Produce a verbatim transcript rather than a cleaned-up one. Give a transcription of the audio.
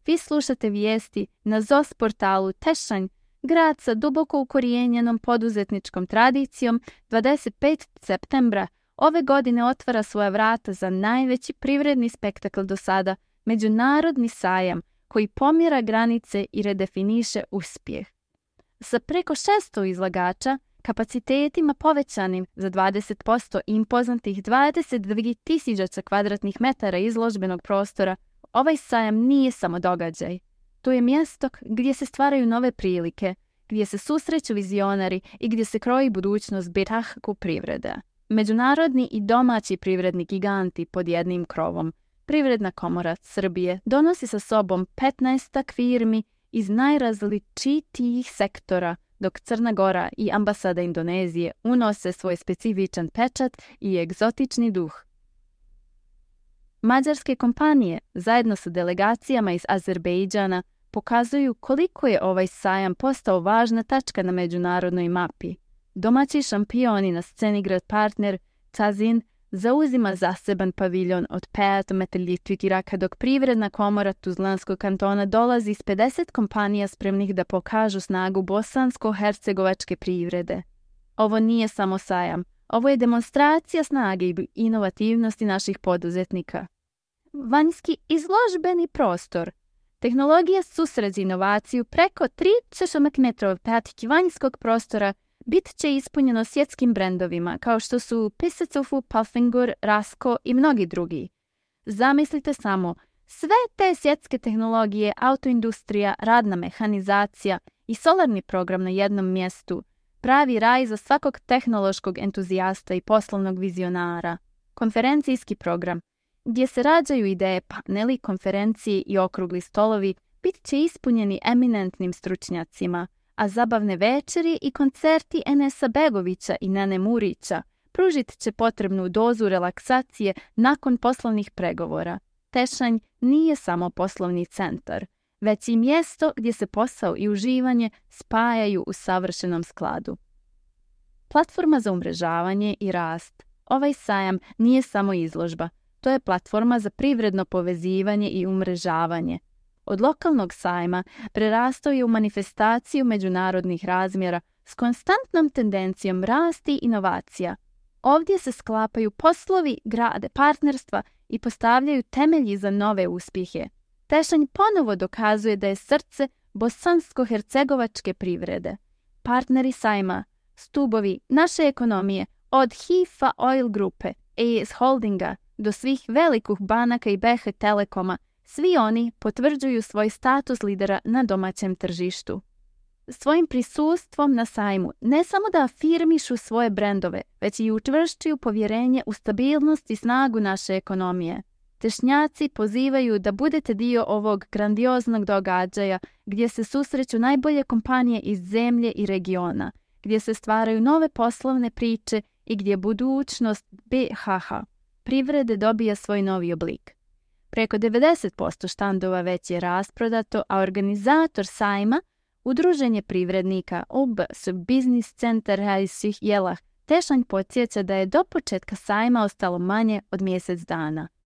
Vi slušate vijesti na Z O S portalu Tešanj, grad sa duboko ukorijenjenom poduzetničkom tradicijom. dvadeset petog septembra ove godine otvara svoja vrata za najveći privredni spektakl do sada, međunarodni sajam koji pomjera granice i redefiniše uspjeh. Sa preko šesto izlagača, kapacitetima povećanim za dvadeset posto i impoznatih dvadeset dvije tisuće kvadratnih metara izložbenog prostora, ovaj sajam nije samo događaj. To je mjesto gdje se stvaraju nove prilike, gdje se susreću vizionari i gdje se kroji budućnost birahaku privrede. Međunarodni i domaći privredni giganti pod jednim krovom. Privredna komora Srbije donosi sa sobom petnaestak firmi iz najrazličitijih sektora, dok Crna Gora i ambasada Indonezije unose svoj specifičan pečat i egzotični duh. Mađarske kompanije, zajedno sa delegacijama iz Azerbejdžana, pokazuju koliko je ovaj sajam postao važna tačka na međunarodnoj mapi. Domaći šampioni na sceni grad partner Tazin zauzima zaseban paviljon od pet metrov četvoraka, dok privredna komora Tuzlanskog kantona dolazi s pedeset kompanija spremnih da pokažu snagu bosansko-hercegovačke privrede. Ovo nije samo sajam, ovo je demonstracija snage i inovativnosti naših poduzetnika. Vanjski izložbeni prostor. Tehnologija susret inovaciju preko trideset metrov patike vanjskog prostora bit će ispunjeno svjetskim brendovima kao što su Pisacofu, Palfingur, Rasko i mnogi drugi. Zamislite samo, sve te svjetske tehnologije, autoindustrija, radna mehanizacija i solarni program na jednom mjestu, pravi raj za svakog tehnološkog entuzijasta i poslovnog vizionara. Konferencijski program, gdje se rađaju ideje, paneli, konferencije i okrugli stolovi, bit će ispunjeni eminentnim stručnjacima, a zabavne večeri i koncerti Enesa Begovića i Nene Murića pružit će potrebnu dozu relaksacije nakon poslovnih pregovora. Tešanj nije samo poslovni centar, već i mjesto gdje se posao i uživanje spajaju u savršenom skladu. Platforma za umrežavanje i rast. Ovaj sajam nije samo izložba, to je platforma za privredno povezivanje i umrežavanje. Od lokalnog sajma prerastao je u manifestaciju međunarodnih razmjera s konstantnom tendencijom rasti i inovacija. Ovdje se sklapaju poslovi, grade partnerstva i postavljaju temelji za nove uspjehe. Tešanj ponovo dokazuje da je srce bosansko-hercegovačke privrede. Partneri sajma, stubovi naše ekonomije, od Hifa Oil grupe, A S Holdinga do svih velikih banaka i B H Telekoma, svi oni potvrđuju svoj status lidera na domaćem tržištu. Svojim prisustvom na sajmu ne samo da afirmišu svoje brendove, već i učvršćuju povjerenje u stabilnost i snagu naše ekonomije. Tešnjaci pozivaju da budete dio ovog grandioznog događaja gdje se susreću najbolje kompanije iz zemlje i regiona, gdje se stvaraju nove poslovne priče i gdje budućnost B H H privrede dobija svoj novi oblik. Preko devedeset posto štandova već je rasprodato, a organizator sajma, Udruženje privrednika O B S Biznis centar Hajsih Jelah, Tešanj podsjeća da je do početka sajma ostalo manje od mjesec dana.